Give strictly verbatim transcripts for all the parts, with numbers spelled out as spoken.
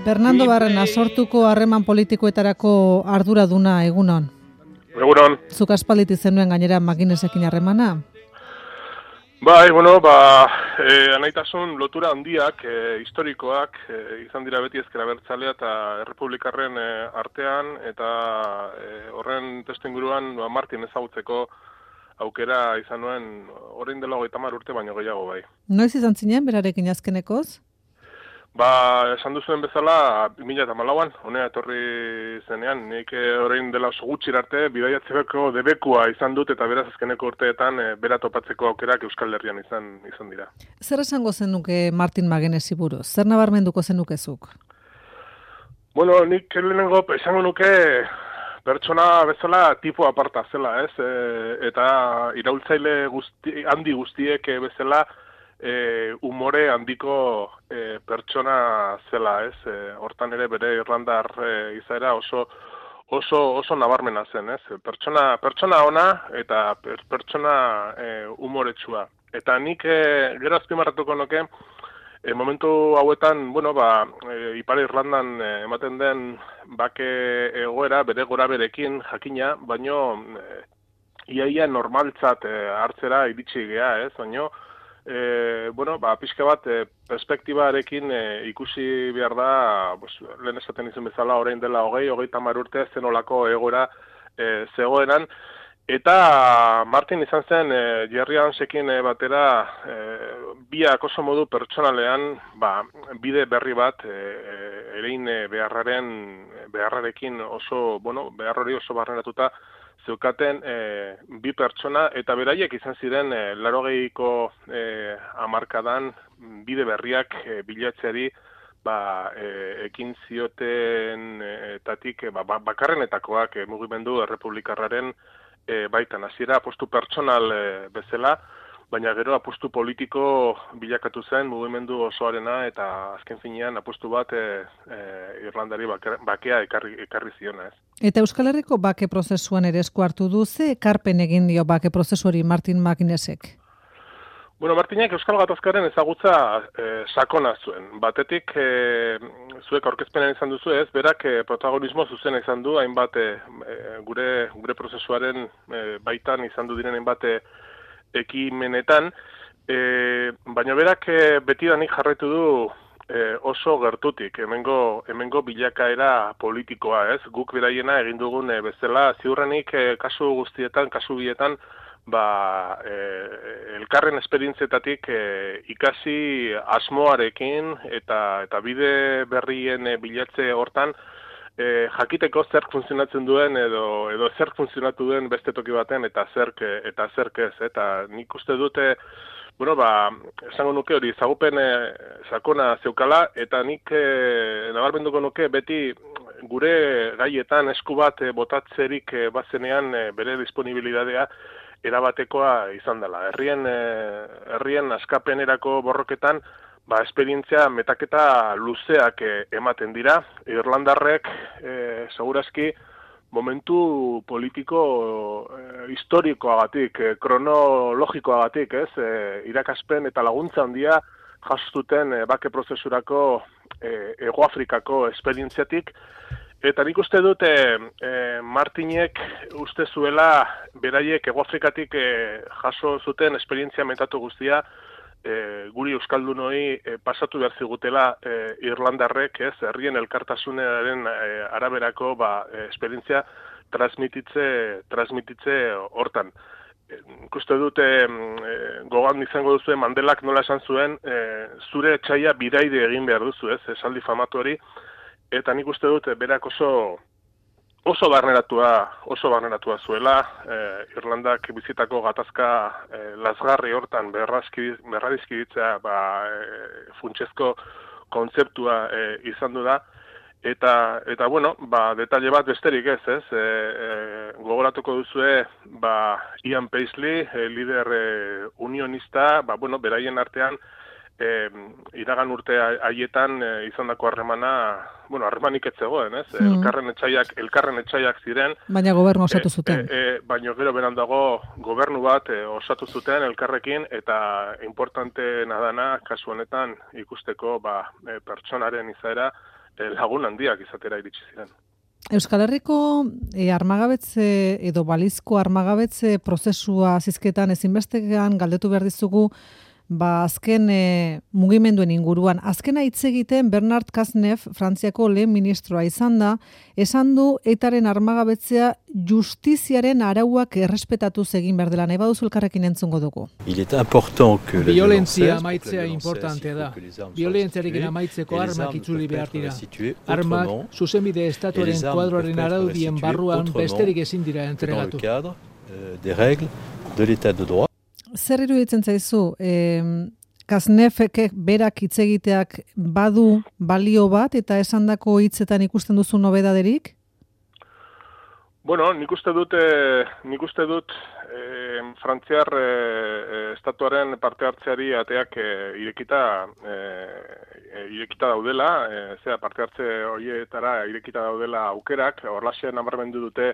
Fernando Barrena, sortuko harreman politikoetarako arduraduna egunon. Egunon. Zuk aspalditik zenuen gainera Makinesekin harremana? Bai, bueno, ba, eh, anaitasun lotura handiak, eh, historikoak, eh, izan dira beti ezker abertzalea eta errepublikarren eh, artean, eta eh, horren testuinguruan ba, Martin ezagutzeko aukera izan nuen orain dela hogeita hamar urte baino gehiago bai. Noiz izan zinen berarekin azkenekoz? Ba, esan duzuen bezala, bi mila hamalauan, honea etorri zenean, nik orain dela oso gutxir arte, bidaiatzeko debekua izan dut, eta beraz azkeneko urteetan e, bera topatzeko aukerak Euskal Herrian izan izan dira. Zer esango zenuke Martin Magenesi buruz? Zer nabarmenduko zenukezuk? Bueno, nik lehenengo esango nuke pertsona bezala tipo aparta zela, ez? E, eta iraultzaile guzti, handi guztiek bezala, E, umore handiko e, pertsona zela, ez? E, hortan ere bere irlandar e, izaera oso oso oso nabarmena zen, ez? Pertsona pertsona ona eta per, pertsona e, umoretsua. Eta nik e, gero azpimarratuko nuke e, momentu hauetan, bueno, ba, e, Ipar Irlandan e, ematen den bake egoera bere goraberekin jakina, baino e, iaia normaltzat e, hartzera iritsi gea, ez? Baino E, bueno, ba, pixka bat, e, perspektibarekin e, ikusi behar da, pues, lehen esaten izan bezala, orain dela hogei, hogei tamar urte, zenolako egoera e, zegoenan, eta Martin izan zen, e, Jerry Hansekin e, batera, e, biak oso modu pertsonalean, ba, bide berri bat, e, erein e, beharraren, beharrarekin oso, bueno, behar hori oso barrenatuta, zeukaten e, bi pertsona, eta beraiek izan ziren e, larogeiko e, hamarkadan bide berriak e, bilatzeari ba, e, ekin zioten e, tatik e, ba, bakarrenetakoak e, mugimendu errepublikarraren e, baitan. Hasiera apostu pertsonal e, bezala, baina gero apostu politiko bilakatu zen mugimendu osoarena eta azken finean apostu bat e, e, Irlandari bakea ekarri, ekarri ziona, ez. Eta Euskal Herriko bake prozesuan ere esku hartu du, ze ekarpen egin dio bake prozesuari Martin Makinesek? Bueno, Martinek Euskal Gatazkaren ezagutza e, sakona zuen. Batetik, e, zuek aurkezpenean izan duzu ez, berak e, protagonismo zuzen izan du, hainbat e, gure, gure prozesuaren e, baitan izan du diren hainbat e, ekimenetan, e, baina berak e, betidanik jarraitu du e, oso gertutik, hemengo, hemengo bilakaera politikoa, ez? Guk beraiena egin dugun e, bezala, ziurrenik e, kasu guztietan, kasu bietan, ba, e, elkarren esperientzietatik e, ikasi asmoarekin eta, eta bide berrien e, bilatze hortan, E, jakiteko zerk funtzionatzen duen edo edo zerk funtzionatu duen beste toki baten eta zerk eta zerk ez, eta nik uste dute, bueno, ba, esango nuke hori zagupen e, sakona zeukala, eta nik e, nabarmenduko nuke beti gure gaietan esku bat e, botatzerik e, bazenean e, bere disponibilitatea erabatekoa izan dela. Herrien e, herrien askapenerako borroketan ba, esperientzia metaketa luzeak e, ematen dira. Irlandarrek, e, segurazki, momentu politiko e, historikoagatik, e, kronologikoagatik, ez, e, irakaspen eta laguntza handia jasotuten e, bake prozesurako e, Hegoafrikako esperientziatik, eta nik uste dute e, Martinek uste zuela beraiek Hegoafrikatik e, jaso zuten esperientzia metatu guztia, E, guri euskaldunoi e, pasatu behar zigutela e, Irlandarrek, ez, herrien elkartasunaren e, araberako ba, e, esperientzia transmititze, transmititze hortan. E, ikuste dute e, gogoan izango duzu Mandelak nola esan zuen, e, zure etxaia bidaide egin behar duzu, ez, esaldi famatu hori, eta nik uste dute berak oso oso barneratua, oso barneratua zuela, eh, Irlandak bizitako gatazka eh, lazgarri hortan berradizkiditzea ba, eh, funtsezko kontzeptua eh, izan du da, eta, eta bueno, ba, detalle bat besterik ez, ez, e, e, gogoratuko duzue, ba, Ian Paisley, e, lider e, unionista, ba, bueno, beraien artean, E, iragan urte haietan e, izandako harremana, bueno, harremanik ez zegoen, ez? Mm. Elkarren etxaiak, elkarren etxaiak ziren. Baina gobernu osatu zuten. E, e, baina gero beran dago gobernu bat e, osatu zuten elkarrekin, eta importanteena dana kasu honetan ikusteko ba, e, pertsonaren izaera e, lagun handiak izatera iritsi ziren. Euskal Herriko e, armagabetze edo balizko armagabetze prozesua zizketan ezinbestean galdetu behar dizugu, ba azken e, mugimenduen inguruan. Azkena hitz egiten Bernard Cazeneuve, Frantziako lehen ministroa izan da, esan du etaren armagabetzea justiziaren arauak errespetatuz egin behar dela. Nahi baduzu elkarrekin entzungo dugu. Violentzia amaitzea importantea da. Violentziarekin amaitzeko armak itzuli behar dira. Armak zuzenbide estatuaren kuadroaren araudien barruan besterik ezin dira entregatu. Zer iruditzen zaizu, eh, Cazeneuvek berak hitz egiteak badu balio bat eta esandako hitzetan ikusten duzu nobedaderik? Bueno, nik uste dut, eh, nik uste dut eh, Frantziar eh, estatuaren parte hartzeari ateak eh, irekita, eh, irekita daudela, eh, zera parte hartze horietara irekita daudela aukerak, horlaxe nabarmendu dute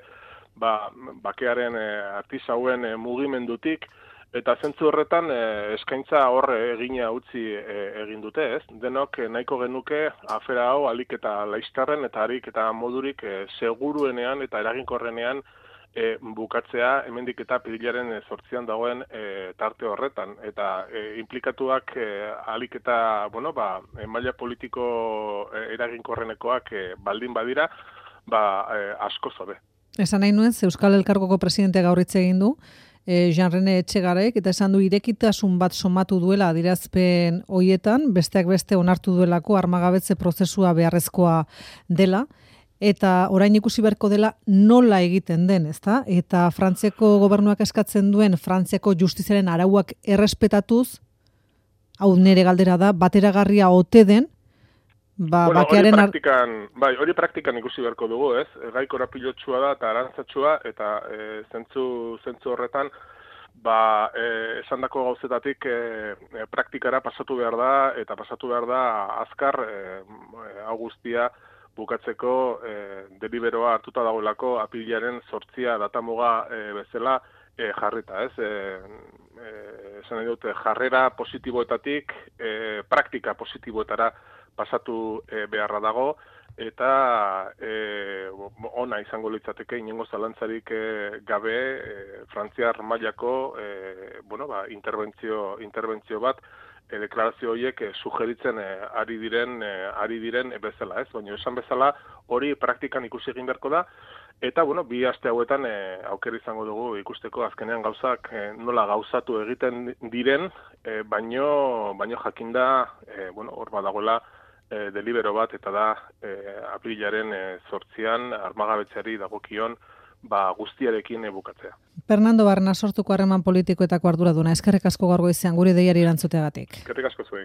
ba, bakearen eh, artisauen eh, mugimendutik, eta zentzu horretan eh, eskaintza hor egina utzi eh, egin dute, ez? Denok eh, nahiko genuke afera hau alik eta laistarren eta harik eta modurik eh, seguruenean eta eraginkorrenean eh, bukatzea hemendik eta pirilaren zortzian dagoen eh, tarte horretan. Eta eh, implikatuak eh, alik eta, bueno, ba, maila politiko eh, eraginkorrenekoak eh, baldin badira, ba, eh, asko zobe. Esan nahi nuen, Euskal Elkargoko presidentea gaur hitz egin du, E, Jean-René Etxegarek, eta esan du irekitasun bat somatu duela adirazpen hoietan, besteak beste onartu duelako armagabetze prozesua beharrezkoa dela, eta orain ikusi beharko dela nola egiten den, ezta? Eta Frantziako gobernuak eskatzen duen Frantziako justiziaren arauak errespetatuz, hau nire galdera da, bateragarria ote den, ba, bueno, bakearen... Hori praktikan, bai, hori praktikan ikusi beharko dugu, ez? Gai korapilotsua da eta arantzatxua, eta e, zentzu, zentzu horretan, ba, e, esandako gauzetatik e, e, praktikara pasatu behar da, eta pasatu behar da azkar e, hau guztia bukatzeko e, deliberoa hartuta dagoelako apilaren zortzia datamuga e, bezala e, jarrita, ez? E, e, esan nahi dute, jarrera positiboetatik e, praktika positiboetara pasatu e, beharra dago, eta e, ona izango litzateke inongo zalantzarik e, gabe e, Frantziar mailako e, bueno, ba, interbentzio, interbentzio bat e, deklarazio horiek e, sugeritzen e, ari diren e, ari diren e, bezala, ez? Baina esan bezala hori praktikan ikusi egin beharko da, eta bueno, bi aste hauetan e, aukera izango dugu ikusteko azkenean gauzak e, nola gauzatu egiten diren, e, baino baino jakinda e, bueno, hor badagoela E, delibero bat, eta da e, aprilaren e, zortzian armagabetzeari dagokion ba, guztiarekin e, bukatzea. Fernando Barna sortuko harreman politikoetako arduraduna, eskerrik asko gaur goizean gure deiari erantzuteagatik. Eskerrik asko zuei.